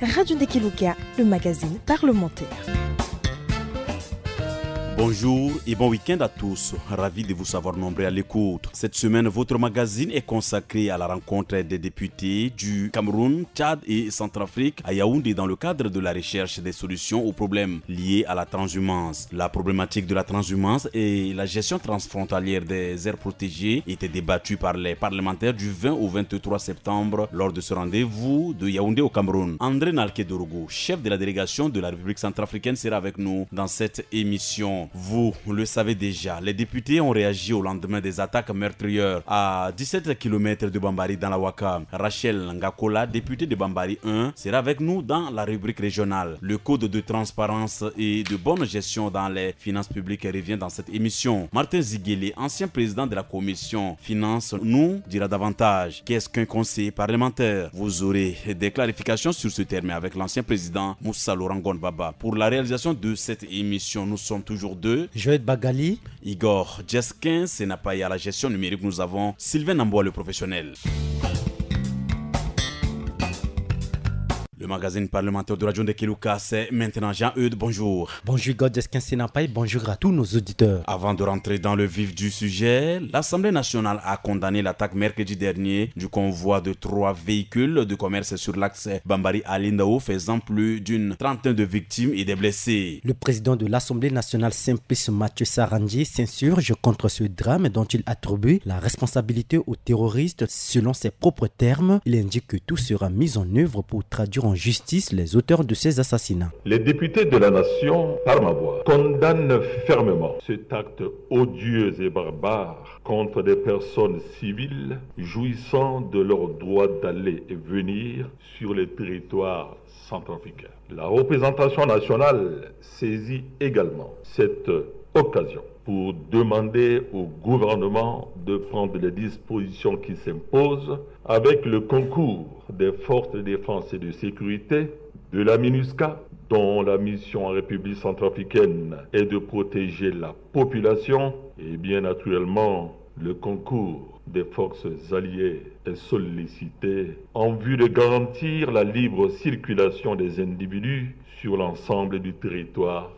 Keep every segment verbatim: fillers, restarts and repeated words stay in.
Radio Ndekeluka, le magazine parlementaire. Bonjour et bon week-end à tous. Ravi de vous savoir nombreux à l'écoute. Cette semaine, votre magazine est consacré à la rencontre des députés du Cameroun, Tchad et Centrafrique à Yaoundé dans le cadre de la recherche des solutions aux problèmes liés à la transhumance. La problématique de la transhumance et la gestion transfrontalière des aires protégées étaient débattues par les parlementaires du vingt au vingt-trois septembre lors de ce rendez-vous de Yaoundé au Cameroun. André Nalke Dorogo, chef de la délégation de la République centrafricaine, sera avec nous dans cette émission. Vous le savez déjà, les députés ont réagi au lendemain des attaques meurtrières à dix-sept kilomètres de Bambari dans la Waka. Rachel Ngakola, députée de Bambari un, sera avec nous dans la rubrique régionale. Le code de transparence et de bonne gestion dans les finances publiques revient dans cette émission. Martin Ziguele, ancien président de la commission finances, nous dira davantage. Qu'est-ce qu'un conseiller parlementaire ? Vous aurez des clarifications sur ce terme avec l'ancien président Moussa Laurent Gonbaba. Pour la réalisation de cette émission, nous sommes toujours deux. Joël Bagali. Igor Djeskin, Senapaï à la gestion numérique. Nous avons Sylvain Namboa, le professionnel. Le magazine parlementaire de Radio Ndekeluka, c'est maintenant Jean-Eudes. Bonjour. Bonjour, Igor Djeskin Senapaï. Bonjour à tous nos auditeurs. Avant de rentrer dans le vif du sujet, l'Assemblée nationale a condamné l'attaque mercredi dernier du convoi de trois véhicules de commerce sur l'axe Bambari-Alindao, faisant plus d'une trentaine de victimes et des blessés. Le président de l'Assemblée nationale, Simplice Mathieu Sarandji, s'insurge contre ce drame dont il attribue la responsabilité aux terroristes. Selon ses propres termes, il indique que tout sera mis en œuvre pour traduire en justice les auteurs de ces assassinats. Les députés de la nation, par ma voix, condamnent fermement cet acte odieux et barbare contre des personnes civiles jouissant de leur droit d'aller et venir sur les territoires centrafricains. La représentation nationale saisit également cette occasion pour demander au gouvernement de prendre les dispositions qui s'imposent avec le concours des forces de défense et de sécurité, de la MINUSCA, dont la mission en République centrafricaine est de protéger la population, et bien naturellement le concours des forces alliées est sollicité en vue de garantir la libre circulation des individus sur l'ensemble du territoire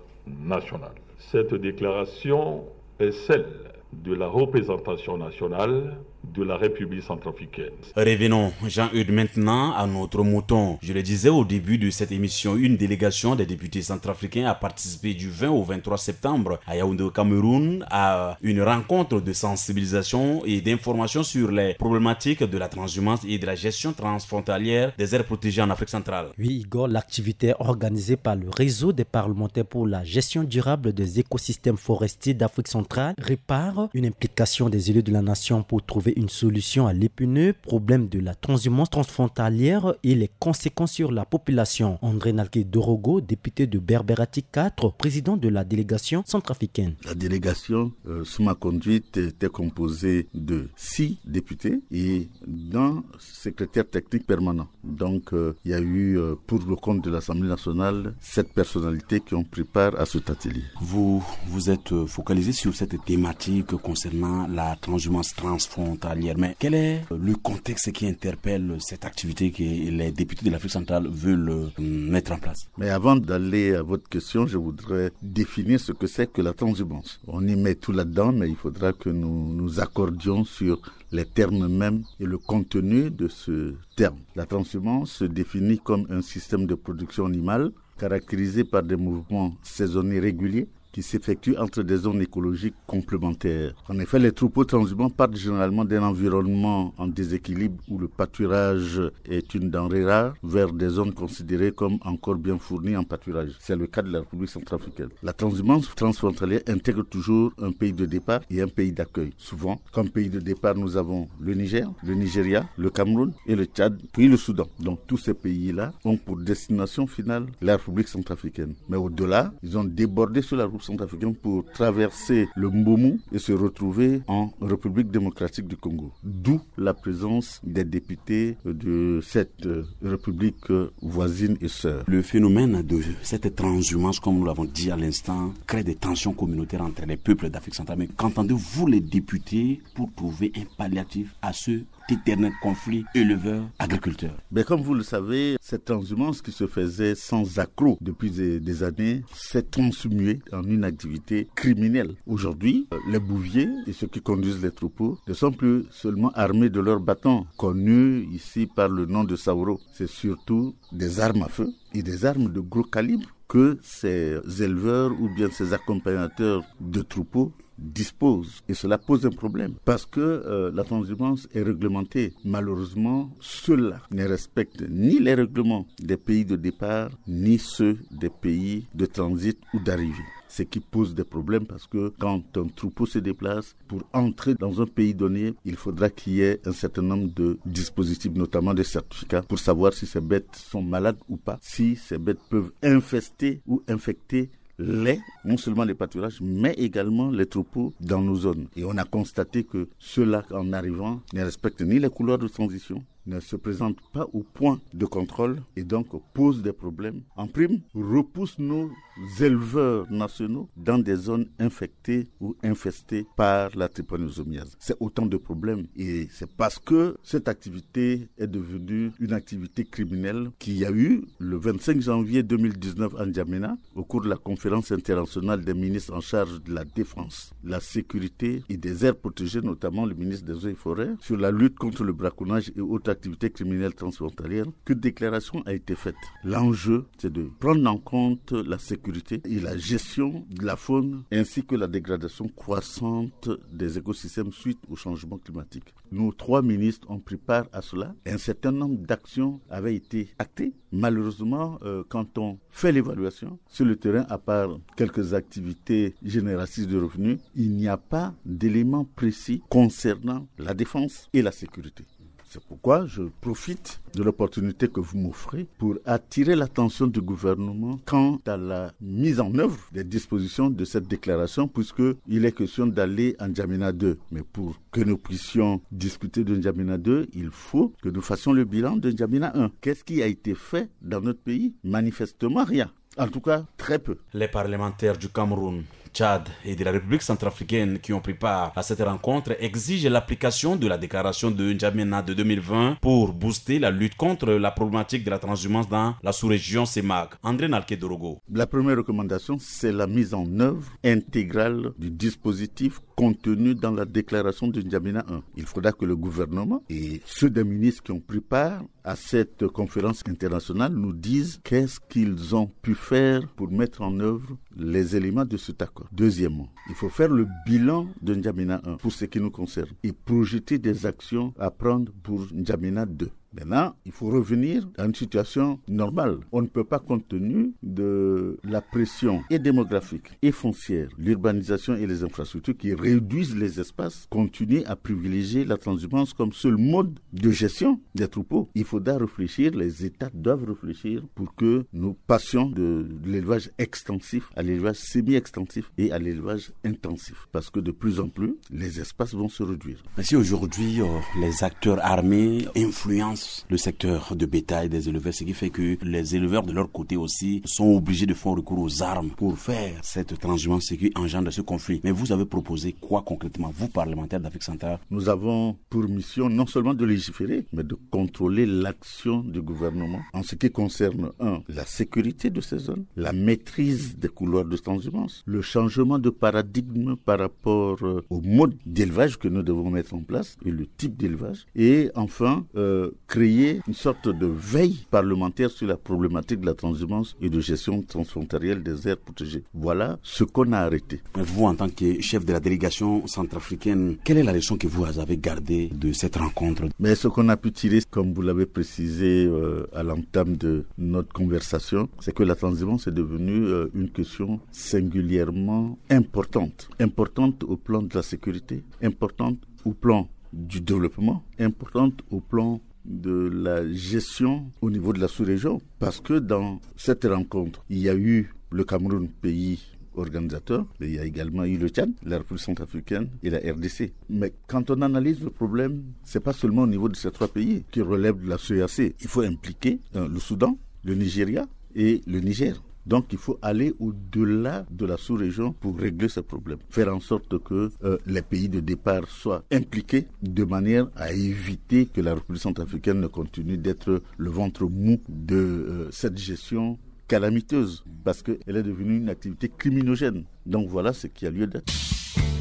national. Cette déclaration est celle de la représentation nationale de la République centrafricaine. Revenons, Jean-Eudes, maintenant à notre mouton. Je le disais au début de cette émission, une délégation des députés centrafricains a participé du vingt au vingt-trois septembre à Yaoundé au Cameroun à une rencontre de sensibilisation et d'information sur les problématiques de la transhumance et de la gestion transfrontalière des aires protégées en Afrique centrale. Oui, Igor, l'activité organisée par le Réseau des parlementaires pour la gestion durable des écosystèmes forestiers d'Afrique centrale, REPAR, une implication des élus de la nation pour trouver une solution à l'épineux problème de la transhumance transfrontalière et les conséquences sur la population. André Nalke Dorogo, député de Berberatic quatre, président de la délégation centrafricaine. La délégation, euh, sous ma conduite, était composée de six députés et d'un secrétaire technique permanent. Donc, euh, il y a eu, euh, pour le compte de l'Assemblée nationale, sept personnalités qui ont pris part à cet atelier. Vous vous êtes, euh, focalisé sur cette thématique concernant la transhumance transfrontalière. Mais quel est, euh, le contexte qui interpelle cette activité que les députés de l'Afrique centrale veulent, euh, mettre en place ? Mais avant d'aller à votre question, je voudrais définir ce que c'est que la transhumance. On y met tout là-dedans, mais il faudra que nous nous accordions sur les termes mêmes et le contenu de ce terme. La transhumance se définit comme un système de production animale caractérisé par des mouvements saisonniers réguliers qui s'effectuent entre des zones écologiques complémentaires. En effet, les troupeaux transhumants partent généralement d'un environnement en déséquilibre où le pâturage est une denrée rare vers des zones considérées comme encore bien fournies en pâturage. C'est le cas de la République centrafricaine. La transhumance transfrontalière intègre toujours un pays de départ et un pays d'accueil. Souvent, comme pays de départ, nous avons le Niger, le Nigeria, le Cameroun et le Tchad, puis le Soudan. Donc tous ces pays-là ont pour destination finale la République centrafricaine. Mais au-delà, ils ont débordé sur la République centrafricaine pour traverser le Mbomou et se retrouver en République démocratique du Congo. D'où la présence des députés de cette, euh, République, euh, voisine et sœur. Le phénomène de cette transhumance, comme nous l'avons dit à l'instant, crée des tensions communautaires entre les peuples d'Afrique centrale. Mais qu'entendez-vous, les députés, pour trouver un palliatif à ce cet éternel conflit éleveur-agriculteur. Mais comme vous le savez, cette transhumance qui se faisait sans accroc depuis des, des années s'est transmuée en une activité criminelle. Aujourd'hui, euh, les bouviers et ceux qui conduisent les troupeaux ne sont plus seulement armés de leurs bâtons, connus ici par le nom de Sauro. C'est surtout des armes à feu et des armes de gros calibre que ces éleveurs ou bien ces accompagnateurs de troupeaux disposent. Et cela pose un problème parce que euh, la transhumance est réglementée. Malheureusement, ceux-là ne respectent ni les règlements des pays de départ, ni ceux des pays de transit ou d'arrivée. Ce qui pose des problèmes parce que quand un troupeau se déplace, pour entrer dans un pays donné, il faudra qu'il y ait un certain nombre de dispositifs, notamment des certificats, pour savoir si ces bêtes sont malades ou pas, si ces bêtes peuvent infester ou infecter les, non seulement les pâturages, mais également les troupeaux dans nos zones. Et on a constaté que ceux-là, en arrivant, ne respectent ni les couloirs de transition, ne se présentent pas au point de contrôle et donc posent des problèmes. En prime, repoussent nos éleveurs nationaux dans des zones infectées ou infestées par la trypanosomiase. C'est autant de problèmes et c'est parce que cette activité est devenue une activité criminelle qu'il y a eu le vingt-cinq janvier deux mille dix-neuf à N'Djamena, au cours de la conférence internationale des ministres en charge de la défense, la sécurité et des aires protégées, notamment le ministre des Eaux et Forêts, sur la lutte contre le braconnage et autres activités criminelles transfrontalières, qu'une déclaration a été faite. L'enjeu, c'est de prendre en compte la sécurité et la gestion de la faune ainsi que la dégradation croissante des écosystèmes suite au changement climatique. Nos trois ministres ont pris part à cela. Un certain nombre d'actions avaient été actées. Malheureusement, euh, quand on fait l'évaluation sur le terrain, à part quelques activités génératrices de revenus, il n'y a pas d'éléments précis concernant la défense et la sécurité. C'est pourquoi je profite de l'opportunité que vous m'offrez pour attirer l'attention du gouvernement quant à la mise en œuvre des dispositions de cette déclaration, puisqu'il est question d'aller à N'Djamena deux. Mais pour que nous puissions discuter de N'Djamena deux, il faut que nous fassions le bilan de N'Djamena un. Qu'est-ce qui a été fait dans notre pays ? Manifestement rien. En tout cas, très peu. Les parlementaires du Cameroun, Tchad et de la République centrafricaine qui ont pris part à cette rencontre exigent l'application de la déclaration de N'Djamena de deux mille vingt pour booster la lutte contre la problématique de la transhumance dans la sous-région CEMAC. André Nalke Dorogo. La première recommandation, c'est la mise en œuvre intégrale du dispositif contenu dans la déclaration de N'Djamena un. Il faudra que le gouvernement et ceux des ministres qui ont pris part à cette conférence internationale nous disent qu'est-ce qu'ils ont pu faire pour mettre en œuvre les éléments de cet accord. Deuxièmement, il faut faire le bilan de N'Djamena un pour ce qui nous concerne et projeter des actions à prendre pour N'Djamena deux. Maintenant, il faut revenir à une situation normale. On ne peut pas, compte tenu de la pression et démographique et foncière, l'urbanisation et les infrastructures qui réduisent les espaces, continuer à privilégier la transhumance comme seul mode de gestion des troupeaux. Il faudra réfléchir, les États doivent réfléchir pour que nous passions de l'élevage extensif à l'élevage semi-extensif et à l'élevage intensif. Parce que de plus en plus, les espaces vont se réduire. Mais si aujourd'hui, euh, les acteurs armés influencent le secteur de bétail des éleveurs, ce qui fait que les éleveurs de leur côté aussi sont obligés de faire recours aux armes pour faire cette transhumance, ce qui engendre ce conflit. Mais vous avez proposé quoi concrètement, vous, parlementaires d'Afrique centrale ? Nous avons pour mission non seulement de légiférer, mais de contrôler l'action du gouvernement en ce qui concerne, un, la sécurité de ces zones, la maîtrise des couloirs de transhumance, le changement de paradigme par rapport, euh, au mode d'élevage que nous devons mettre en place et le type d'élevage, et enfin, euh, créer une sorte de veille parlementaire sur la problématique de la transhumance et de gestion transfrontalière des aires protégées. Voilà ce qu'on a arrêté. Mais vous, en tant que chef de la délégation centrafricaine, quelle est la leçon que vous avez gardée de cette rencontre ? Mais ce qu'on a pu tirer, comme vous l'avez précisé, euh, à l'entame de notre conversation, c'est que la transhumance est devenue, euh, une question singulièrement importante. Importante au plan de la sécurité, importante au plan du développement, importante au plan de la gestion au niveau de la sous-région. Parce que dans cette rencontre, il y a eu le Cameroun, pays organisateur, mais il y a également eu le Tchad, la République centrafricaine et la R D C. Mais quand on analyse le problème, c'est pas seulement au niveau de ces trois pays qui relèvent de la C E E A C. Il faut impliquer, euh, le Soudan, le Nigeria et le Niger. Donc il faut aller au-delà de la sous-région pour régler ce problème. Faire en sorte que euh, les pays de départ soient impliqués de manière à éviter que la République centrafricaine ne continue d'être le ventre mou de euh, cette gestion calamiteuse, parce qu'elle est devenue une activité criminogène. Donc voilà ce qui a lieu d'être.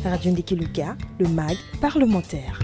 Radio Ndiki Luka, le mag parlementaire.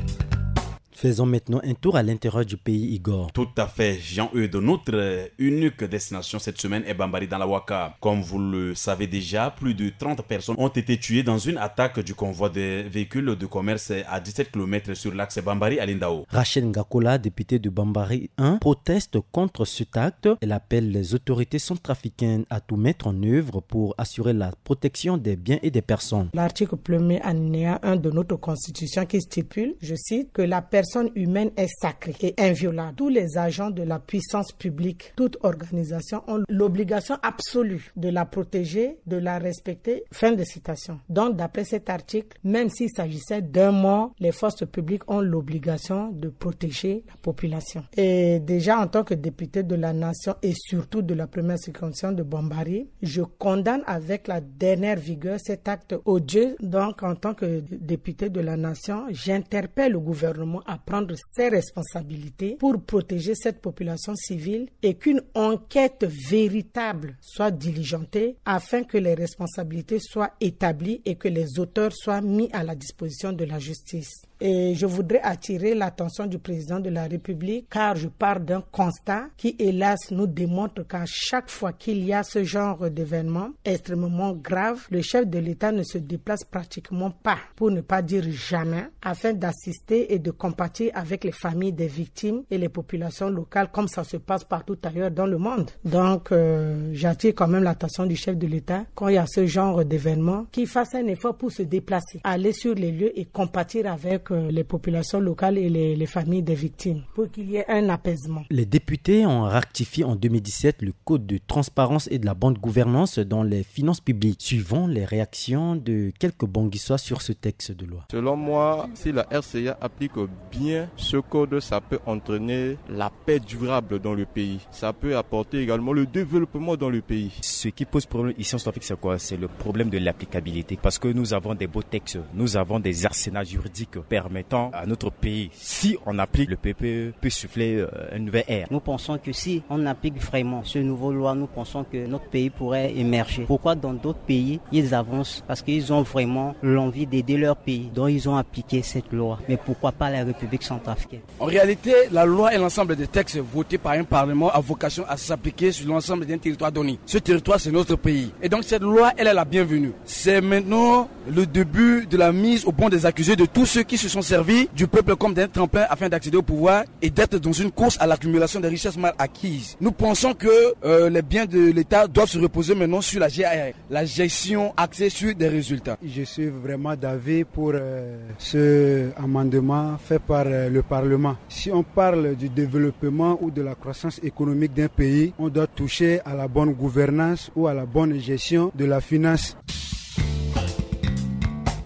Faisons maintenant un tour à l'intérieur du pays, Igor. Tout à fait, Jean-Eudes. Notre euh, unique destination cette semaine est Bambari dans la Waka. Comme vous le savez déjà, plus de trente personnes ont été tuées dans une attaque du convoi des véhicules de commerce à dix-sept kilomètres sur l'axe Bambari à Lindao. Rachel Ngakola, députée de Bambari un, proteste contre cet acte. Elle appelle les autorités centrafricaines à tout mettre en œuvre pour assurer la protection des biens et des personnes. L'article premier alinéa un de notre constitution qui stipule, je cite, que la personne humaine est sacrée et inviolable. Tous les agents de la puissance publique, toute organisation ont l'obligation absolue de la protéger, de la respecter. Fin de citation. Donc, d'après cet article, même s'il s'agissait d'un mort, les forces publiques ont l'obligation de protéger la population. Et déjà, en tant que député de la nation et surtout de la première circonscription de Bambari, je condamne avec la dernière vigueur cet acte odieux. Donc, en tant que député de la nation, j'interpelle le gouvernement à prendre ses responsabilités pour protéger cette population civile et qu'une enquête véritable soit diligentée afin que les responsabilités soient établies et que les auteurs soient mis à la disposition de la justice. Et je voudrais attirer l'attention du président de la République, car je pars d'un constat qui, hélas, nous démontre qu'à chaque fois qu'il y a ce genre d'événement extrêmement grave, le chef de l'État ne se déplace pratiquement pas, pour ne pas dire jamais, afin d'assister et de compatir avec les familles des victimes et les populations locales, comme ça se passe partout ailleurs dans le monde. Donc, euh, j'attire quand même l'attention du chef de l'État, quand il y a ce genre d'événement, qu'il fasse un effort pour se déplacer, aller sur les lieux et compatir avec euh, les populations locales et les, les familles des victimes, pour qu'il y ait un apaisement. Les députés ont rectifié en deux mille dix-sept le code de transparence et de la bonne gouvernance dans les finances publiques, suivant les réactions de quelques Banguissois sur ce texte de loi. Selon moi, si la R C A applique bien ce code, ça peut entraîner la paix durable dans le pays. Ça peut apporter également le développement dans le pays. Ce qui pose problème ici en Centrafrique, c'est quoi ? C'est le problème de l'applicabilité. Parce que nous avons des beaux textes, nous avons des arsenaux juridiques permettant à notre pays, si on applique, le P P E peut souffler euh, une nouvelle ère. Nous pensons que si on applique vraiment ce nouveau loi, nous pensons que notre pays pourrait émerger. Pourquoi dans d'autres pays, ils avancent ? Parce qu'ils ont vraiment l'envie d'aider leur pays. Donc ils ont appliqué cette loi. Mais pourquoi pas la République centrafricaine ? En réalité, la loi est l'ensemble des textes votés par un parlement à vocation à s'appliquer sur l'ensemble d'un territoire donné. Ce territoire, c'est notre pays. Et donc cette loi, elle est la bienvenue. C'est maintenant le début de la mise au banc des accusés de tous ceux qui se sont servis du peuple comme d'un tremplin afin d'accéder au pouvoir et d'être dans une course à l'accumulation des richesses mal acquises. Nous pensons que euh, les biens de l'État doivent se reposer maintenant sur la G I R, la gestion axée sur des résultats. Je suis vraiment d'avis pour euh, ce amendement fait par euh, le Parlement. Si on parle du développement ou de la croissance économique d'un pays, on doit toucher à la bonne gouvernance ou à la bonne gestion de la finance.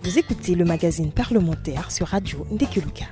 Vous écoutez le magazine parlementaire sur Radio Ndiki Luka.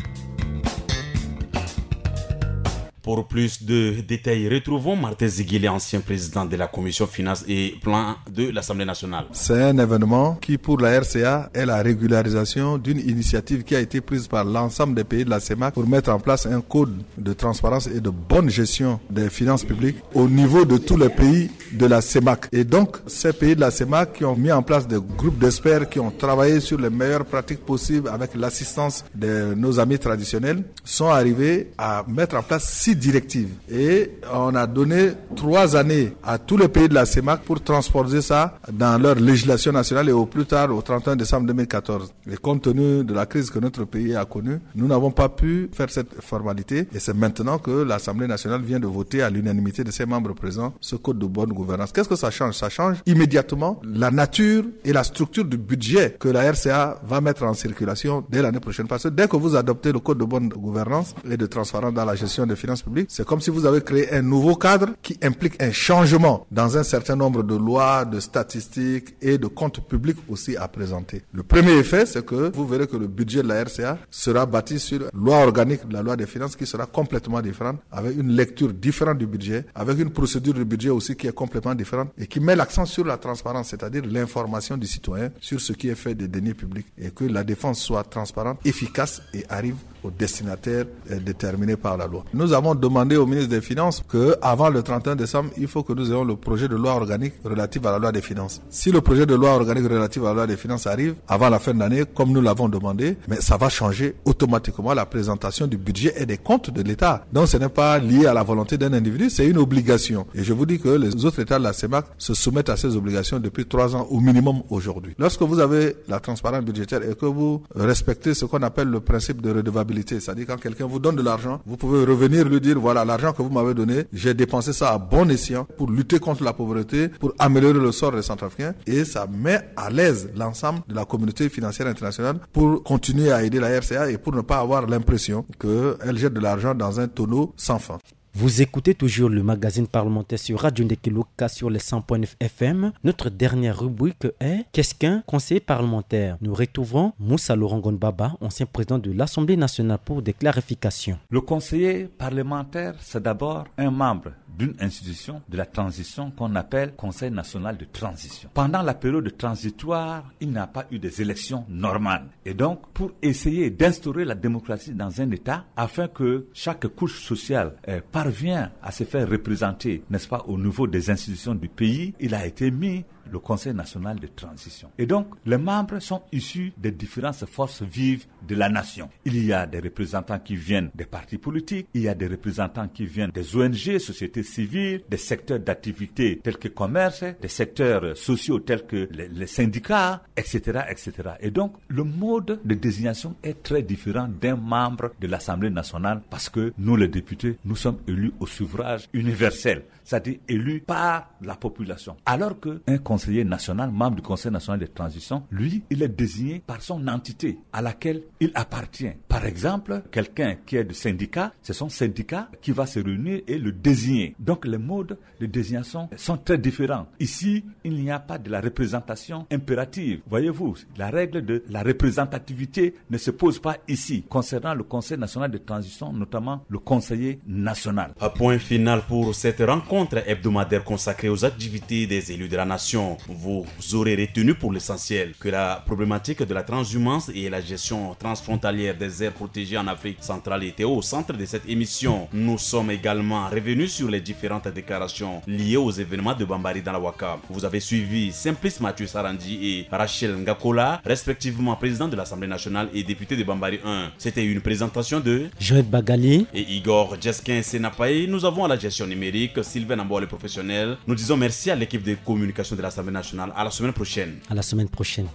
Pour plus de détails, retrouvons Martin Ziguilé, ancien président de la commission finances et plan de l'Assemblée nationale. C'est un événement qui, pour la R C A, est la régularisation d'une initiative qui a été prise par l'ensemble des pays de la CEMAC pour mettre en place un code de transparence et de bonne gestion des finances publiques au niveau de tous les pays de la CEMAC. Et donc, ces pays de la CEMAC qui ont mis en place des groupes d'experts, qui ont travaillé sur les meilleures pratiques possibles avec l'assistance de nos amis traditionnels, sont arrivés à mettre en place six directives. Et on a donné trois années à tous les pays de la CEMAC pour transposer ça dans leur législation nationale et au plus tard au trente et un décembre deux mille quatorze. Et compte tenu de la crise que notre pays a connue, nous n'avons pas pu faire cette formalité. Et c'est maintenant que l'Assemblée nationale vient de voter à l'unanimité de ses membres présents ce code de bonne gouvernance. Qu'est-ce que ça change ? Ça change immédiatement la nature et la structure du budget que la R C A va mettre en circulation dès l'année prochaine. Parce que dès que vous adoptez le code de bonne gouvernance et de transparence dans la gestion des finances public, c'est comme si vous avez créé un nouveau cadre qui implique un changement dans un certain nombre de lois, de statistiques et de comptes publics aussi à présenter. Le premier effet, c'est que vous verrez que le budget de la R C A sera bâti sur loi organique de la loi des finances qui sera complètement différente, avec une lecture différente du budget, avec une procédure de budget aussi qui est complètement différente et qui met l'accent sur la transparence, c'est-à-dire l'information du citoyen sur ce qui est fait des deniers publics, et que la dépense soit transparente, efficace et arrive au destinataire, euh, déterminé par la loi. Nous avons demandé au ministre des Finances que, avant le trente et un décembre, il faut que nous ayons le projet de loi organique relatif à la loi des finances. Si le projet de loi organique relatif à la loi des finances arrive avant la fin de l'année, comme nous l'avons demandé, mais ça va changer automatiquement la présentation du budget et des comptes de l'État. Donc ce n'est pas lié à la volonté d'un individu, c'est une obligation. Et je vous dis que les autres États de la CEMAC se soumettent à ces obligations depuis trois ans au minimum aujourd'hui. Lorsque vous avez la transparence budgétaire et que vous respectez ce qu'on appelle le principe de redevabilité, c'est-à-dire quand quelqu'un vous donne de l'argent, vous pouvez revenir lui dire : voilà, l'argent que vous m'avez donné, j'ai dépensé ça à bon escient pour lutter contre la pauvreté, pour améliorer le sort des Centrafricains, et ça met à l'aise l'ensemble de la communauté financière internationale pour continuer à aider la R C A et pour ne pas avoir l'impression qu'elle jette de l'argent dans un tonneau sans fond. Vous écoutez toujours le magazine parlementaire sur Radio Ndekeloka sur les cent point neuf F M. Notre dernière rubrique est : qu'est-ce qu'un conseiller parlementaire ? Nous retrouvons Moussa Laurent Gonbaba, ancien président de l'Assemblée nationale, pour des clarifications. Le conseiller parlementaire, c'est d'abord un membre d'une institution de la transition qu'on appelle Conseil national de transition. Pendant la période transitoire, il n'y a pas eu des élections normales. Et donc, pour essayer d'instaurer la démocratie dans un État, afin que chaque couche sociale, euh, parvienne à se faire représenter, n'est-ce pas, au niveau des institutions du pays, il a été mis le Conseil national de transition. Et donc, les membres sont issus des différentes forces vives de la nation. Il y a des représentants qui viennent des partis politiques, il y a des représentants qui viennent des O N G, sociétés civiles, des secteurs d'activité tels que commerce, des secteurs, euh, sociaux tels que les, les syndicats, et cetera, et cetera. Et donc, le mode de désignation est très différent d'un membre de l'Assemblée nationale parce que nous, les députés, nous sommes élus au suffrage universel, c'est-à-dire élus par la population. Alors qu'un conseiller national, membre du Conseil national de transition, lui, il est désigné par son entité à laquelle il appartient. Par exemple, quelqu'un qui est du syndicat, c'est son syndicat qui va se réunir et le désigner. Donc les modes de désignation sont très différents. Ici, il n'y a pas de la représentation impérative. Voyez-vous, la règle de la représentativité ne se pose pas ici, concernant le Conseil national de transition, notamment le conseiller national. À point final pour cette rencontre hebdomadaire consacrée aux activités des élus de la nation. Vous aurez retenu pour l'essentiel que la problématique de la transhumance et la gestion transfrontalière des aires protégées en Afrique centrale était au centre de cette émission. Nous sommes également revenus sur les différentes déclarations liées aux événements de Bambari dans la Waka. Vous avez suivi Simplice Mathieu Sarandji et Rachel Ngakola, respectivement président de l'Assemblée nationale et député de Bambari un. C'était une présentation de Joël Bagali et Igor Jeskin Senapaï. Nous avons à la gestion numérique Sylvain Amboa, le professionnel. Nous disons merci à l'équipe de communication de l'Assemblée nationale. À la semaine prochaine. À la semaine prochaine.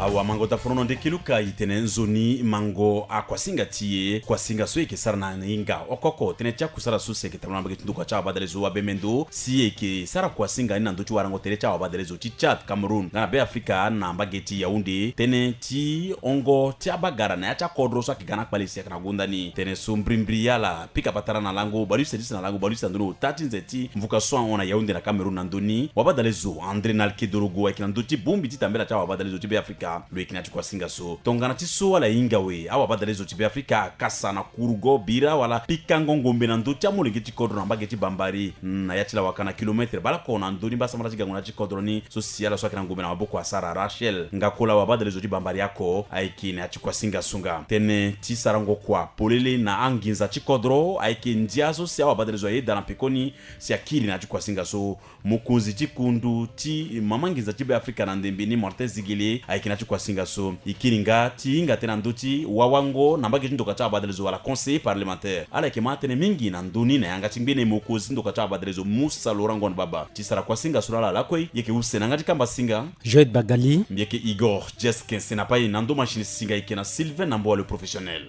Awa mango ta forono nde kiluka itene nzoni mango a kuasinga ti e. Kuasinga so e ke sara na hinga oko oko tene ti akusala so si e ke tambula na mbage ti nduka ti awabadalezo wa bemendo si e ke sara kuasinga ni na ndö ti warango tere ti awabadalezo ti Tchad, Cameroun nga na Be Afrika na mbage ti Yaoundé. Tënë ti hongo ti abagara na ya ti akodro so ayeke ga na akpale si ayeke na gonda ni. Tënë so mbrimbri ala pika patara na lango baleuse ti si na lango baleuse na ndoni ota ti nze ti mvuka so ahon na Yaoundé na Cameroun na ndö ni. Wabadalezo André Nalke Dorogo ayeke na ndö ti bongbi ti tambela ti awabadalezo ti Be Afrika. Lo yeke na ya ti kuasinga so tongana ti so ala hinga awe awabadalezo ti Be Afrika akasa na kurugo bira wala pikango ngombe na ndö ti amolenge ti kodro na mbage ti Bambari na ya ti lawaka na kilometre baleoko na ndö ni mbasambala ti gango na ya ti kodro ni. So si ala so ayeke na ngombe na maboko asara Rachel Ngakola wabadalezo ti Bambari ako ayeke na ya ti kuasinga so nga. Tënë ti sarango kua polele na anginza ti kodro ayeke ndia so si awabadalezo ayeda na pekoni si akiri na ya ti kuasinga so. Mokonzi ti kundu ti mama nginza ti Be Afrika na ndembe ni Martin Zigele ayeke na ya ti kuasinga so. E kiri nga ti hinga tënë na ndö ti wawango na mbage ti ndoka ti awabadalezo wala conseiller parlementaire. Ala yeke ma tënë mingi na ndö ni na yanga ti ngbene mokonzi ti ndoka ti awabadalezo Moussa Laurent Ngon Baba. Ti sara kuasinga so na ala lakue e yeke use na yanga ti kamba singa Joël Bagali. Mbi yeke Igor Jeskin Senapaï na ndö machine singa e yeke na Sylvain Namboa le professionnel.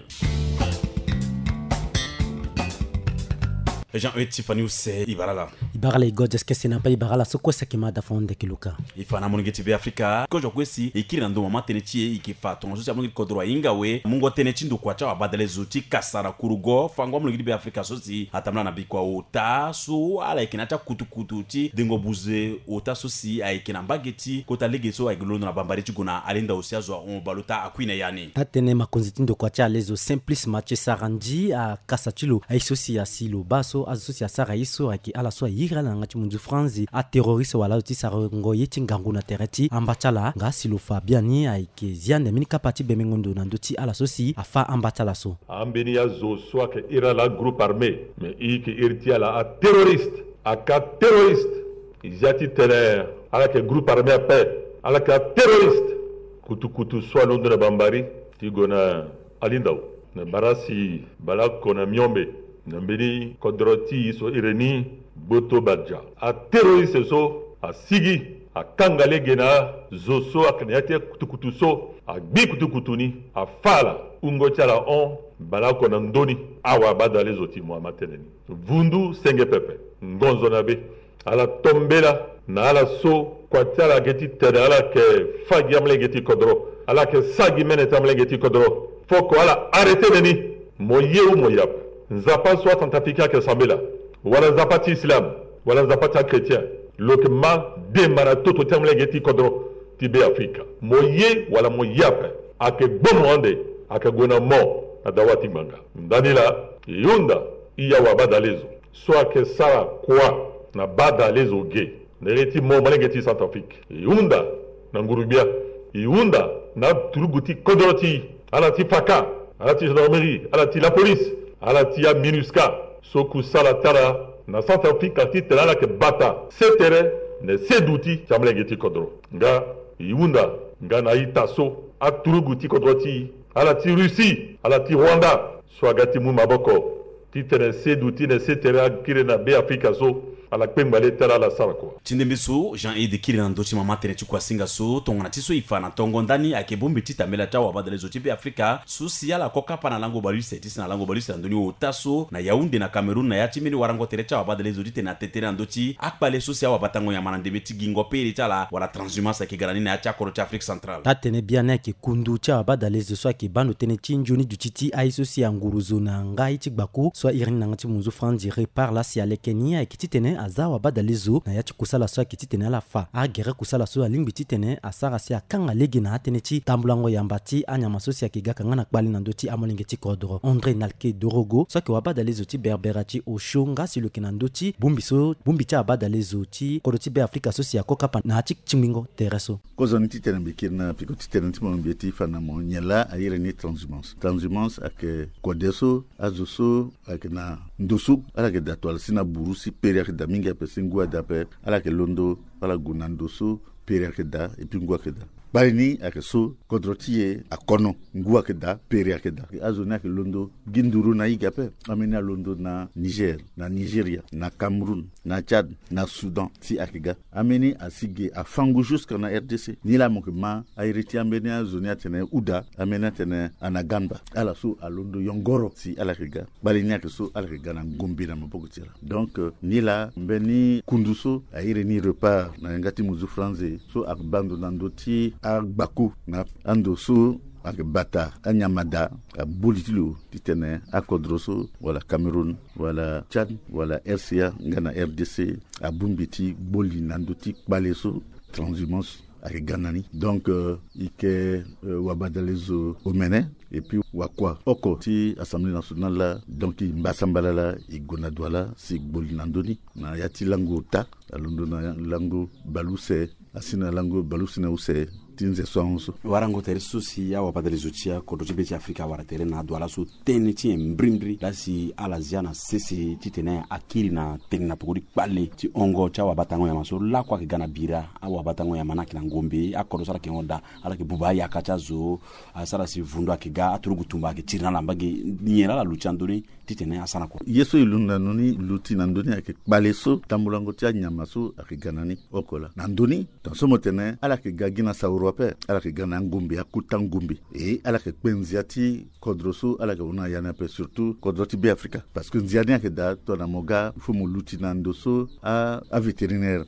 Jean E Tiffany use e bara ala. Bara la e go adi eskese na mbai bara la so kue saki ma da fa honde ki luka. E fa na molenge ti Be Afrika kozo kue si e kiri na ndo mama tënë ti e e ke fa tongaso si amolenge ti kodro ahinga awe mungo tënë ti ndokua ti awabadalezo ti kasa na kurugo fango amolenge ti Be Afrika so si atambula na bikua ota so ala yeke na ya ti akutukutu ti dengo buze ota so si ayeke na mbage ti kota lege so ayeke londo na bambari ti gue na alenda osi azo ahon baleota akui na ya ni. Taa-tënë makonzi ti ndokua ti alezo Simplice Mathieu Sarandji akasa ti lo aye so si asi lo baa so azo so si asara ye so ayeke ala so aye iri ala na yanga ti munzu franzi aterroriste wala azo ti sarango ye ti ngangu na tere ti amba ti ala nga si lo fa biani ayeke zia ndembe ni kapa ti bembengo ndo na ndö ti ala so si afa amba ti ala so. Ambeni azo so ayeke iri ala agroupe armé me e yeke iri ti ala aterroriste. Aka terroriste. E zia ti tene ala yeke groupe armé ape. Ala yeke aterroriste. Kutukutu so alondo na bambari ti gue na alindao na bara si baleoko na miombe na mbeni kodro ti e so iri ni gboto badia. Aterroriste so asigi akanga lege na azo so ayeke na ya ti akutukutu so agbi kutukutu ni afa ala wungo ti ala hon baleoko na ndö ni. Awabadalezo ti mo ama tënë ni vundu senge pepe ngonzo na be. Ala tombela na ala so kua ti ala yeke ti tene ala yeke fa gi amolenge ti kodro ala yeke sa gi mene ti amolenge ti kodro. Foko ala arrêté neni. Mo ye ou mo ye ape. Nzapa so acentrafricain ayeke sambela wala nzapa ti islam wala nzapa ti achrétien lo yeke ma demba na toto ti amolenge ti kodro ti Be Afrika. Mo ye wala mo ye ape. Ayeke gbomo ande ayeke gue na mo na dawa ti ngbanga. Ndani laa e hunda e awabadalezo so ayeke sara kua na badalezo ge na iri ti mo molenge ti Centrafrique. E hunda na nguru-gbia. E hunda na aturugu ti kodro ti e ala ti faka ala ti gendarmerie ala ti lapolice ala ti aminusca so kusala ti ala na Centrafrique ala ti tene ala yeke bata se tere na se duti ti amolenge ti kodro. Nga e hunda nga na a-ita so aturugu ti kodro ti e ala ti Russie ala ti Rwanda so aga ti mu maboko ti tene se duti na se tere akiri na Be Afrika so ala kpengba le ti ala ala sara kua. Ti ndembe so Jean Aide kiri na ndö ti mama tënë ti kuasinga so tongana ti so e fa na tongo ndani ayeke bongbi ti tambela ti awabadalezo ti Be Afrika so si ala ko kapa na lango baleuse ti si na lango baleuse na ndö ni ota so na Yaoundé na Cameroun na ya ti mbeni warango tere ti awabadalezo ti tene atene na ndö ti akpale so si awabatango nyama na ndembe ti gingo pere ti ala wala transhumance ayeke ga na ni na ya ti akodro ti Afrique centrale. Taa-tënë biani ayeke kundu ti awabadalezo so ayeke baa ndo tënë ti nzoni duti ti aye so si anguru zo na nga ye ti gbaku so airi ni na yanga ti munzu franzi Répar laa si aleke ni ayeke titene aza awabadalezo na ya ti kusala so ayeke titene ala fa agere kusala so alingbi titene asara si akanga lege na atënë ti tambulango yamba ti anyama so si ayeke ga ka nga na kpale na ndö ti amolenge ti kodro. André Nalke Dorogo so ayeke wabadalezo ti Berbera ti osio nga si lo yeke na ndö ti bongbi so bongbi ti abadalezo ti kodro ti Be Afrika so si ako kapa na ya ti tingbingo tere so. Kozoni titene mbi kiri na peko titene ti mo mbi ye ti fa na mo nyen laa airi ni transhumance. Transhumance ayeke kode so azo so ayeke na ndo so ala yeke daa to ala si na buru si pere ayeke daa mingi ape si ngu adaa ape. Ala yeke londo ala gue na ndo so pere ayeke daa et puis ngu ayeke daa. Kpale ni ayeke so kodro ti e akono ngu ayeke daa pere ayeke daa. Azo ni ayeke londo gi nduru na e ge ape. Ambeni alondo na Niger, na Nigeria, na Cameroun, na Tchad, na Soudan si ayeke ga. Ambeni asi ge afangu jusque na R D C. Nilaa mo yeke ma airi ti ambeni azo ni atene Ouda, ambeni atene Anagamba. Ala so alondo yongoro si ala yeke ga. Kpale ni ayeke so ala yeke ga na ngombe na maboko ti ala. Donc euh, nilaa mbeni kundu so airi ni Répar na yanga ti muzu franzi so ayeke baa ndo na ndö ti agbaku na ando so ayeke bata anyama daa. Aboli ti lo titene akodro so wala Cameroun wala Tchad wala R C A nga na R D C abongbi ti gboli na ndö ti kpale so transhumance ayeke ga na ni. Donc euh, e yeke euh, wabadalezo omene et puis wakua oko ti Assemblée nationale laa. Donc e mbasambala laa e gue na dua laa si e gboli na ndö ni na ya ti lango ota alondo na lango baleuse asi na lango baleuse na use ti nze so ahon so. Warango tere so si awabadalezo ti akodro ti be ti Afrika awara tere na adua laso tënë ti nyen mbirimbiri laa si ala zia na sese titene akiri na tene na peko ti kpale ti hongo ti awabatango nyama so lakue ayeke ga na bira. Awabatango nyama ni ayeke na ngombe akodro so ala yeke hon daa ala yeke buba ayaka ti azo. Asara si vundu ayeke ga aturugu tumba ayeke tiri na ala mbage. Nyen laa ala luti na ndö ni titene asara kua? Ye so e luti na ndö ni luti na ndö ni ayeke kpale so tambulango ti anyama so ayeke ga na ni oko laa na ndö ni. Tongaso mo tene ala yeke ga gi na sauro ape ala yeke ga na angombe, akota ngombe. E ala yeke kpe nzia ti kodro so ala yeke hon na ya ni ape, surtout kodro ti Be Afrika. Parce que nzia ni ayeke daa tongana mo ga, il faut mo luti na ndo so a, avétérinaire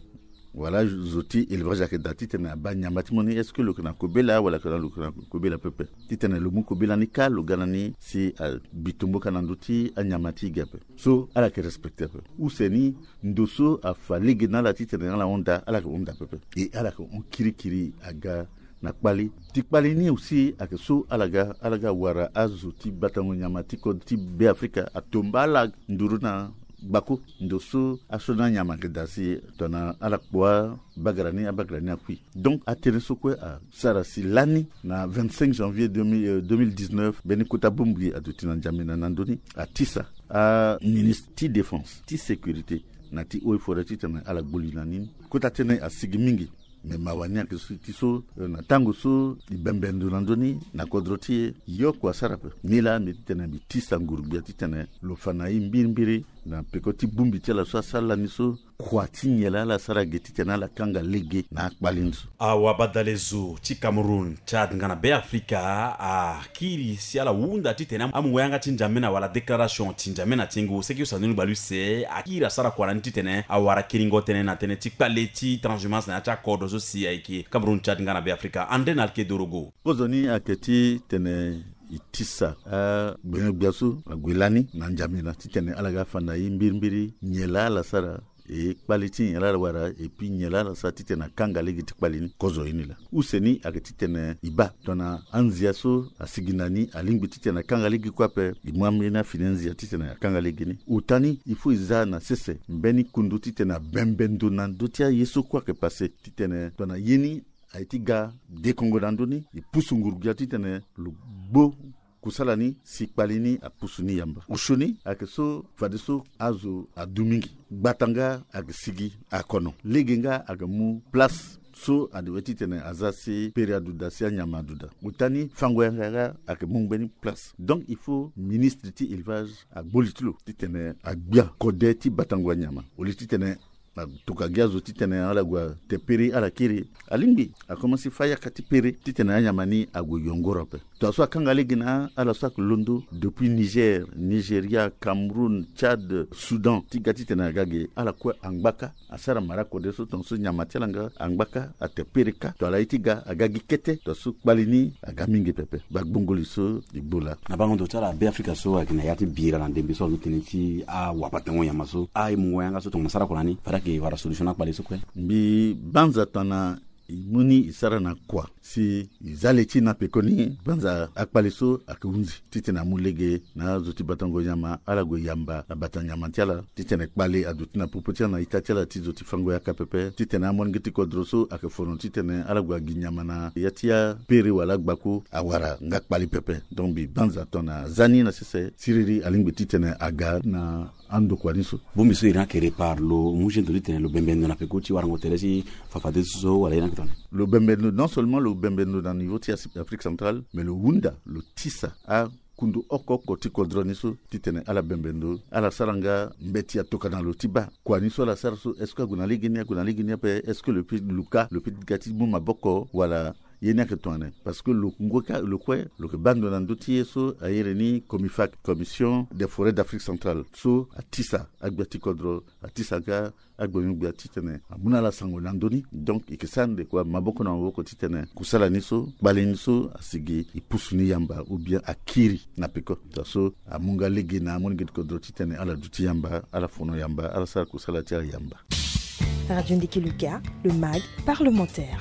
wala zo ti élevage ayeke daa titene abaa nyama ti mo ni, est-ce que lo yeke na kobela wala lo yeke na kobela pepe. Titene lo mu kobela ni kâ, lo ga na ni si abi tombo kâ na ndö ti anyama ti e ge ape. So ala yeke respecté ape. Use ni, ndo so afa lege na ala titene ala hon daa, ala yeke hon daa pepe. E ala yeke hon kirikiri aga na kpali. Ti kpali ni aussi ayeke so ala ga, ala ga wara azo ti batango nyama ti kodro ti Be Afrika atomba ala nduru na gbako. Ndo so asioni anyama ayeke daa si tongana ala kpo abagara ni, abagara ni akui. Donc atënë so kue asara si lani na vingt-cinq janvier deux mille, euh, deux mille dix-neuf, mbeni kota bongbi aduti na N'Djamena na ndö ni, atisa aministre ti défense, ti sécurité na ti eaux et forêts titene ala gbu li na ni. Kota tënë asigi mingi. Me mawa ni ayeke so ti so, eh, na tango so e bembe ndo na ndö ni na kodro ti e, ye oko asara ape. Nilaa mbi titene mbi tisa nguru-gbia titene lo fa na e mbirimbiri na peko ti bongbi ti ala so asara lani so, kua ti nyen laa ala sara ge titene ala kanga lege na akpali ni so. Awabadalezo ti Cameroun, Tchad nga na Be Afrika akiri si ala hunda titene amungo yanga ti N'Djamena wala déclaration ti N'Djamena ti yengo seki use na ndoni gba lu use, akiri asara kua na ni titene awara kiringo tënë na tënë ti kpale ti transhumance na ya ti akodro so si ayeke Cameroun, Tchad nga na Be Afrika. André Nalke Dorogo. Kozoni ayeke titene e tisa agbenyo-gbia so ague lani na N'Djamena titene ala ga fa na e mbirimbiri nyen laa ala sara, e kpale ti nyen laa ala wara, et puis nyen laa ala sara titene akanga lege ti kpale ni. Kozo ye ni laa. Use ni ayeke titene e baa tongana anzia so asigi na ni alingbi titene akanga lege kue ape, e mu ambeni afini anzia titene akanga lege ni. Ota ni il faut e za na sese mbeni kundu titene abembe ndo na ndö ti aye so kue ayeke pase titene tongana ye ni aye ti ga dekongo na ndö ni, e pusu nguru-gbia titene lo gbo kusala ni si kpali ni apusu ni yamba. Osio ni ayeke so fadeso azo adu mingi. Gbata nga ayeke sigi akono. Lege nga ayeke mu place so adewe titene aza si pere aduda si anyama aduda. Ota ni fango yanga nga ayeke mu mbeni place. Donc il faut ministre ti élevage agbo li ti lo titene agbia kode ti batango anyama. Au lieu titene atokua gi azo titene ala gue ate pere ala kiri. Alingbi akomanse fâ yaka ti pere titene anyama ni ague yongoro ape. Tongaso akanga lege na ala so ayeke londo depuis Niger, Nigeria, Cameroun, Tchad, Soudan ti ga titene aga ge, ala kue angba kâ. Asara mara kode so tongaso nyama ti ala nga angba kâ, ate pere kâ. Tongana ala ye ti ga aga gi kete, tongaso kpali ni aga mingi pepe. Bagbongo li so e gbo laa. Na bango ndo ti ala Be Afrika so ayeke na ya ti bira na ndembe so azo tënë ti awabatango nyama so, aye mungo yanga so tongana sara kua na ni fade ayeke wara solution na akpali so kue. Mbi banza tongana e mu ni e sara na kua si e za le ti e na pekoni. Banza akpali so ayeke hunzi titene amu lege na azo ti batango nyama, ala gue yamba na bata nyama ti ala titene kpali aduti na popo ti ala na ita ti ala ti zo ti fango yaka pepe, titene amolenge ti kodro so ayeke fono titene ala gue agi nyama na ya ti apere wala agbako awara nga kpali pepe. Donc mbi banza tongana aza ni na sese, siriri alingbi titene aga na andokua ni so. Bongbi so iri ni ayeke répare, lo mu gendo titene lo bembe ndo na peko ti warango tere ti fafadeso so wala iri ni ayeke tongana? Lo bembe ndo, non seulement lo bembe ndo na niveau ti Afrique centrale, mais lo hunda, lo tisa akundu oko oko ti kodro ni so titene ala bembe ndo, ala sara nga mbeti atoka na lo ti baa kua ni so ala sara so, est-ce que ague na lege ni, ague na lege ni ape, est-ce que lo peut luka, lo peut ga ti mu maboko wala ye ni ayeke tongana? Parce que lo ngoi kâ, lo kue lo yeke baa ndo na ndö ti ye so a iri ni COMIFAC, Commission des Forêts d'Afrique Centrale, so atisa agbia ti kodro, atisa nga agbenyo-gbia titene amu na ala sango na ndö ni. Donc e yeke sara ndeko maboko na maboko titene kusala ni so, kpali ni so asigi, e pusu ni yamba ou bien akiri na peko. Tongaso amu nga lege na amolenge ti kodro titene ala duti yamba, ala fono yamba, ala sara kusala ti ala yamba. Radio Ndiki Luka, le mag parlementaire.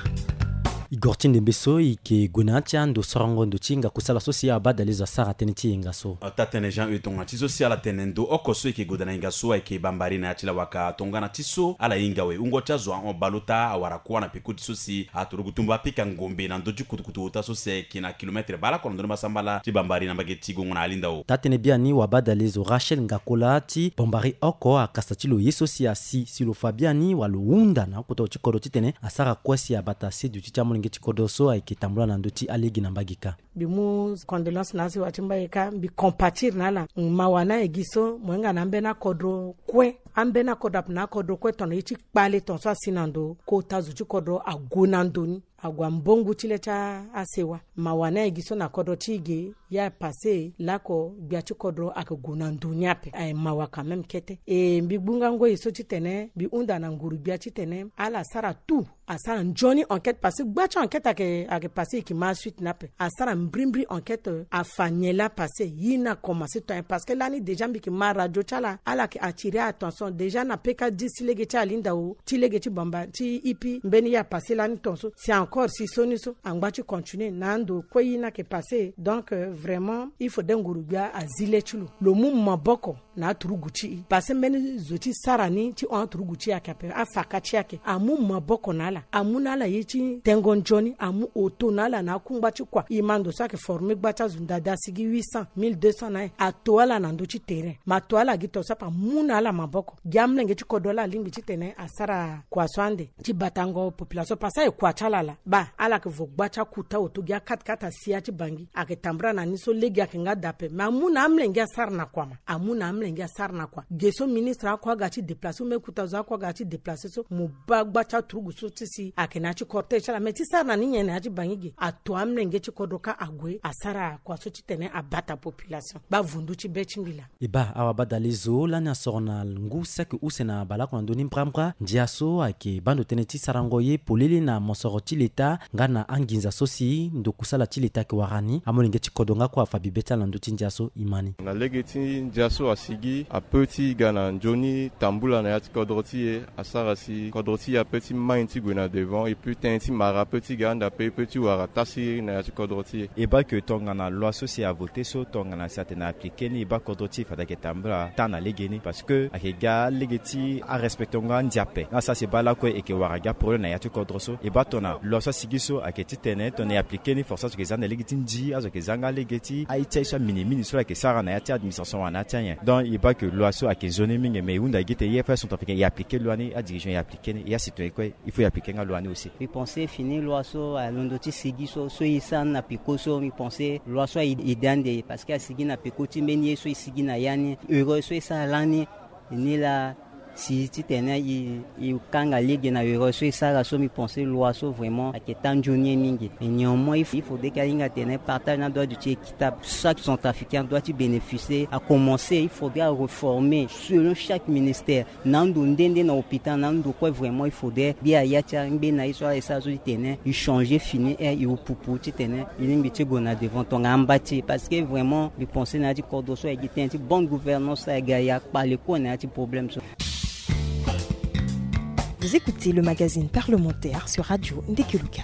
E goro ti ndembe so e yeke gue na ya ti ando sorongo ndo ti hinga kusala so si abadalezo asara tënë ti hinga so. Ata tene Jean E tongana ti so si ala tene ndo oko so e yeke goda na hinga so ayeke bambari na ya ti lawaka tongana ti so ala hinga awe. Wungo ti azo ahon baleota awara kuâ na peko ti so si atoroku tumba apika ngombe na ndö ti kutukutu ota so si ayeke na kilometre baleoko na ndö ni masambala ti bambari na mbage ti gongo na alindao. Taa-tënë biani wabadalezo Rachel Ngakola ti bambari oko akasa ti lo ye so si asi si lo fa biani wala lo hunda na akota ti kodro titene asara kue si abata se duti ti amolenge ti kodro so ayeke tambula na ndö ti alege na mbage kâ. Mbi mu condolence na asewa ti mbage kâ, mbi compatir na ala. Mawa ni aye gi so mo hinga na ambeni akodro kue, ambeni akodro ape na akodro kue tongana ye ti kpale tongaso asi na ndo kota zo ti kodro ague na ndo ni. Ague ambongu ti le ti asewa. Mawa ni aye gi so na kodro ti e ge. Ya pase lako gbia ti kodro ayeke gue na ndo ni ape. Aye mawa quand même kete. E mbi gbu nga ngoi so titene mbi hunda na nguru gbia titene ala sara tout, asara nzoni enquête, parce que gba ti enquête ayeke, ayeke pase, e yeke ma suite ni ape. Asara mbrimbri enquête, afa nyen laa pase, ye ni akomanse tonga nyen, parce que lani déjà mbi yeke ma radio ti ala, ala yeke attirer attention déjà na P K dix ti lege ti Alinda o, ti lege ti Bamba, ti Ipi, mbeni ye apase lani tongaso. Si encore si so ni so angba ti continuer na ando kue ye ni ayeke pase. Donc, euh, vraiment, il faudrait nguru gbia azi le ti lo, lo mu maboko na aturugu ti e. Parce que mbeni zo ti sara ni ti hon aturugu ti e ayeke ape, afaka ti e ayeke. Amu maboko na ala, amu na ala ye ti tengo nzoni, amu oto na ala na akungba ti kua. E ma ndo so ayeke former gba ti azo ndada asigi huit cents, mille deux cents na e. Ato ala na ndö ti terrain. Ma ato ala gi tongaso ape, amu na ala maboko. Gi amolenge ti kodro laa alingbi titene asara kua so ande ti batango population, parce que aye kua ti ala laa. Baa ala yeke vo gba ti akuta oto, gi akate kate asi ya ti Bangui. Ayeke tambula na ni so lege ayeke nga daa ape. Me amu na amolenge asara na kua ma. Amu na amolenge asara na kua. Ge so ministre ako aga ti déplacer, ou même kuta zo ako aga ti déplacer so, mo baa gba ti aturugu so ti si ayeke na ya ti cortège ti ala. Me ti sara na ni nyen na ya ti Bangui ge? Ato amolenge ti kodro kâ ague asara kua so titene abata population. Baa vundu ti be ti mbi laa. E baa, awabadale zo lani asoro na ngu saki use na baleoko na ndö ni mbrambra. Ndia so ayeke baa ndo tënë ti sarango ye polele na mosoro ti leta nga na anginza so si ndokusala ti leta ayeke wara ni. Amolenge ti kodro nga kue afa bibe ti ala na ndö ti ndia so, e ma ni. Na lege ti ndia so asigi, ape ti ga na nzoni tambula na ya ti kodro ti e, asara si kodro ti e ape ti mai ti gue na devant, et puis tënë ti mara ape ti ga ande ape, e peut ti wara tasiri na ya ti kodro ti e. E baa ke tongana loi so si avote so, tongana si atene appliqué ni, e baa kodro ti e fade ayeke tambula taa na legeni, parce que ayeke ga lege ti arespectango andia ape. Nga sara si e baa lakue e yeke wara gi aproblème na ya ti kodro so. E baa tongana loi so asigi so ayeke titene tongana e appliqué ni, force azo yeke za ande lege ti ndi, azo yeke za nga lege ti aye ti aye so amini mingi so ayeke sara na ya ti administration wala na ya ti anyen. Donc e baa ke loi so ayeke nzoni mingi, mais e hunda gi tene ye fade centrafricain e appliqué loi ni, adirigeant e appliqué ni, e acitoyen kue il faut e appliqué nga loi ni aussi. Mbi pense fini loi so alondo ti sigi so, so e sara ni na peko so, mbi pense loi so aye ede ande, parce que asigi na peko ti mbeni ye so e sigi na ya ni, erreur so e sara lani, e ni laa si titene e, e kanga lege na erreur so e sara so, mbi pense loi so vraiment ayeke taa nzoni ye mingi. Mais néanmoins il faut, il faudrait que ahinga tene partage ni adoit ti équitable. Chaque centrafricain doit ti bénéficier, à commencer il faudrait à réformer selon chaque ministère. Na ando nde nde na hôpital, na ando kue vraiment il faudrait gbia ya ti angbe na ye so ala e sara so titene e changer fini, e, e opupu titene e lingbi ti gue na devant tongana amba ti e, parce que vraiment mbi pense na ya ti kodro so ayeke gi tënë ti bonne gouvernance, ayeke ga e akpale kue na ya ti problème so. Vous écoutez le magazine parlementaire sur Radio Ndekeluka.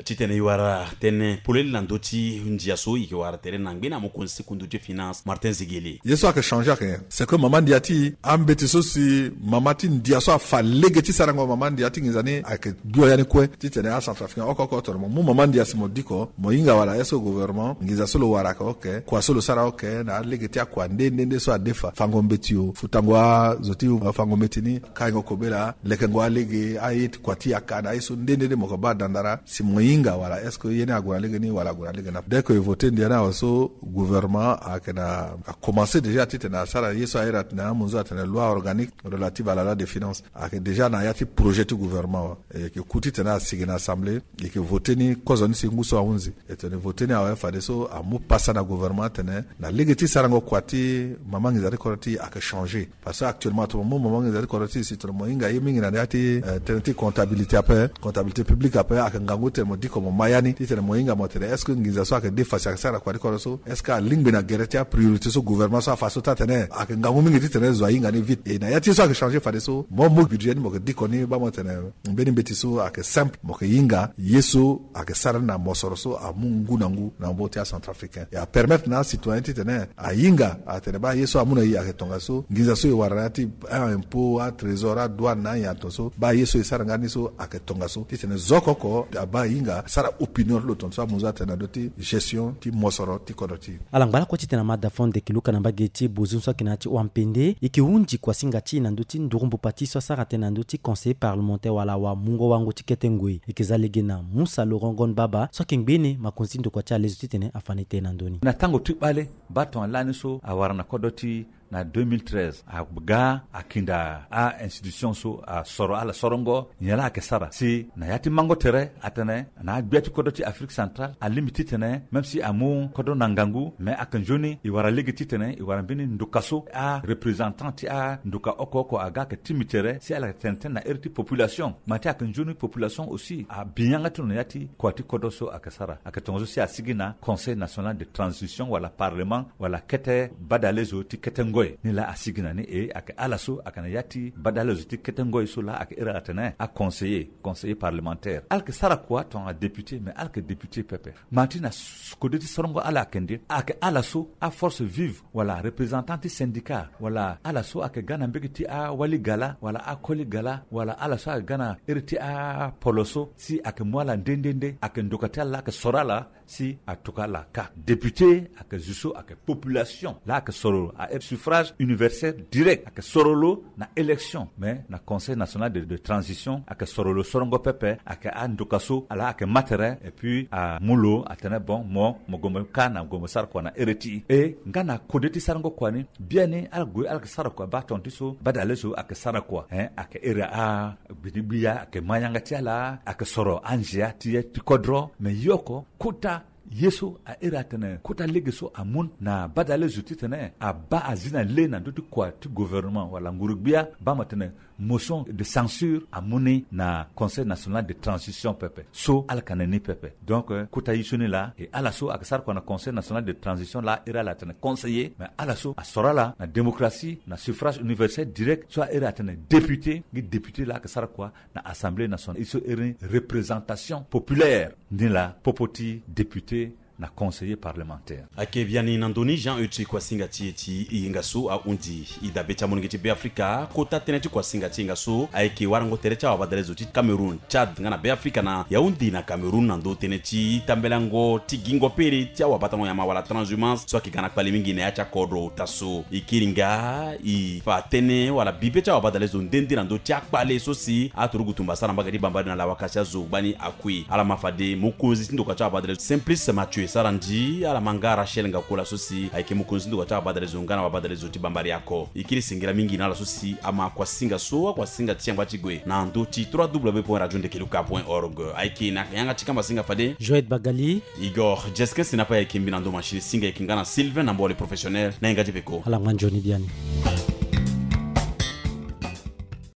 Titene e wara tënë polele na ndö ti ndia so, e yeke wara tere na ngbene amokonzi ti kundu ti finance, Martin Ziguele. Ye so ayeke changer ayeke nyen? C'est que mama ndia ti e, ambeti so si mama ti ndia so afa lege ti sarango mama ndia ti nginza ni ayeke bio ya ni kue. Titene acentrafricain oko oko tongana mo mu mama ndia si mo diko, mo hinga wala est-ce que gouvernement nginza so lo wara ayeke ok, kua so lo sara ok, na alege ti akua nde nde nde so adefa, fango mbeti o, futango azo ti fango mbeti ni, kaingo kobela, lekengo alege, aye ti kua ti yaka na aye so nde nde nde mo yeke baa dandara si mo hinga wala est-ce que ye ni ague na lege ni wala ague na lege ni ape. Dès que e voté ndia ni awe so, gouvernement ayeke na, akomanse déjà titene asara ye so airi atene amunzu atene loi organique relative à la loi de finance. Ayeke déjà na ya ti projet ti gouvernement awe. E yeke ku titene asigi na assemblée, e yeke voté ni kozoni si ngu so ahunzi. E tene voté ni awe fadeso amu pasa na gouvernement atene na lege ti sarango kua ti mama nginza ti kodro ti e ayeke changer. Parce que actuellement tongana mo mu mama nginza ti kodro ti e si tongana mo hinga ye mingi na ya ti, eh, tënë ti comptabilité ape, comptabilité publique ape, ayeke ngangu titene mo diko mo ma ya ni titene mo hinga mo tene est-ce que nginza so ayeke defa si ayeke sara na kua ti kodro so, est-ce que alingbi na gere ti apriorité so gouvernement so afa so taa tene ayeke ngangu mingi titene zo ahinga ni vite. E na ya ti ye so ayeke changer fadeso mo mu budget ni mo yeke diko ni baa mo tene mbeni mbeti so ayeke simple, mo yeke hinga ye so ayeke sara ni na mosoro so amu ngu na ngu na maboko ti acentrafricain. E apermettre na acitoyen titene ahinga atene baa ye so amu na e ayeke tongaso, nginza so e wara na ya ti aimpôt, atrésor, adouane na anyen atongaso, baa ye so e sara nga ni so ayeke tongaso, titene zo oko oko abaa hinga asara opinion ti lo tongaso amu zo atene na ndö ti gestion ti mosoro ti kodro ti e. Ala ngba lakue titene amada fo ndeke luka na mbage ti bozon so ayeke na ya ti Wampende, e yeke hunzi kuasinga ti e na ndö ti nduru mbupa ti e so asara tënë na ndö ti conseiller parlementaire wala wamungo wango ti kete ngoi. E yeke za lege na Musa Laurent Gon Baba so ayeke ngbene makonzi ti ndokua ti alezo titene afa ni tënë na ndö ni. Na tango ti kpale, baa tongana lani so awara na kodro ti na deux mille treize, aga akinda a-institution so asoro ala sorongo nyen la ayeke sara si na ya ti mango tere atene na agbia ti kodro ti Afrique centrale alingbi titene même si amu kodro na ngangu, mais ayeke nzoni e wara lege titene e wara mbeni nduka so areprésentant ti anduka oko oko aga ayeke tingbi tere si ala yeke tene tënë na iri ti population. Ma ti ayeke nzoni population aussi abi yanga ti lo na ya ti kua ti kodro so ayeke sara. Ayeke tongaso si asigi na Conseil national de transition wala parlement wala kete badale zo ti kete ngoi. Ni la asigi na ni e ayeke ala so ayeke na ya ti badale zo ti kete ngoi so la ayeke iri ala tene aconseiller, conseiller parlementaire. Ala yeke sara kua tongana député, mais ala yeke député pepe. Ma ti na s- kode ti sorongo ala ayeke nde, ayeke ala so aforce vive wala représentant ti syndicat wala ala so ayeke ga na mbege ti awali gala wala akoli gala wala ala so ayeke ga na iri ti apolo so si ayeke mu ala nde nde nde, ayeke ndoka ti ala la ayeke soro ala si atuka ala ka. Député ayeke zo so ayeke population la ayeke soro lo a iri suffrage universel direct, ayeke soro lo na élection. Mais na Conseil national de, de transition ayeke soro lo sorongo pepe, ayeke andoka so ala ayeke ma tere et puis amu lo atene bon mo mo gue mo ka na gue mo sara kua na iri ti e. E nga na kode ti sarango kua ni biani ala gue ala yeke sara kua baa tonga ti so badale so ayeke sara kua, hein, ayeke iri agbidi gbiya ayeke ma yanga ti ala ayeke soro anzia ti ye ti kodro. Mais ye oko kota ye so a iri atene kota lege so amu na badale zo titene abaa azi na le na ndö ti kua ti gouvernement wala nguru-gbia baa mo tene motion de censure amu ni na Conseil national de transition pepe so ala yeke na ni pepe. Donc euh, kota ye so ni laa e ala so ayeke sara kua na Conseil national de transition laa iri ala atene conseiller, mais ala so asoro ala na démocratie na suffrage universel direct so a iri atene député, ngi député laa ayeke sara kua na Assemblée nationale, e so iri représentation populaire. Ni laa popo ti député na conseiller parlementaire. Ayeke biani na ndö ni Jean Euti Kuasinga ti e ti e yenga so ahundi e dabe ti amolenge ti Beafrika. Kota tënë ti Kuasinga ti e yenga so ayeke warango tere ti awabadale zo ti Cameroun, Tchad nga na Beafrika na Yaoundé na Cameroun na ndö tënë ti tambelango ti gingo pere ti awabatango nyama wala transhumance so ayeke ga na kpale mingi na ya ti akodro ota so. E kiri nga e fa tënë wala bibe ti awabadale zo nde nde na ndö ti akpale so si aturugu tumba asara mbage ti bambari na lawaka ti azo gbani akui. Ala ma fade mokonzi ti ndoka ti awabadale zo Simplice Mathieu Sarandji, ala ma nga Rachel Ngakola so si ayeke mokonzi ti ndoka ti awabadale zo nga na wabadale zo ti bambari ako. E kiri singila mingi na ala so si ama kuasinga so akuasinga ti yangba ti gue na ndö ti trois w point radio ndekeluka point org. Ayeke na yanga ti kamba singa fade Joël Bagali, Igor Jesquin Sinapa ayeke mbi na ndo machine singa ayeke nga na Sylvain na mboli professionnel na yanga ti peko. Ala ngba nzoni biani.